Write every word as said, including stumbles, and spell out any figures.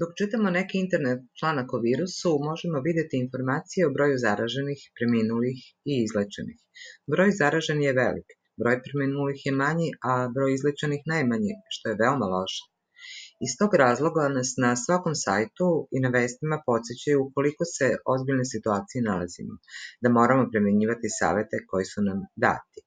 Dok čitamo neki internet članak o virusu, možemo videti informacije o broju zaraženih, preminulih i izlečenih. Broj zaraženih je velik, broj preminulih je manji, a broj izlečenih najmanji, što je veoma loše. Iz tog razloga nas na svakom sajtu i na vestima podsjećaju u koliko se ozbiljne situacije nalazimo, da moramo primenjivati savete koji su nam dati.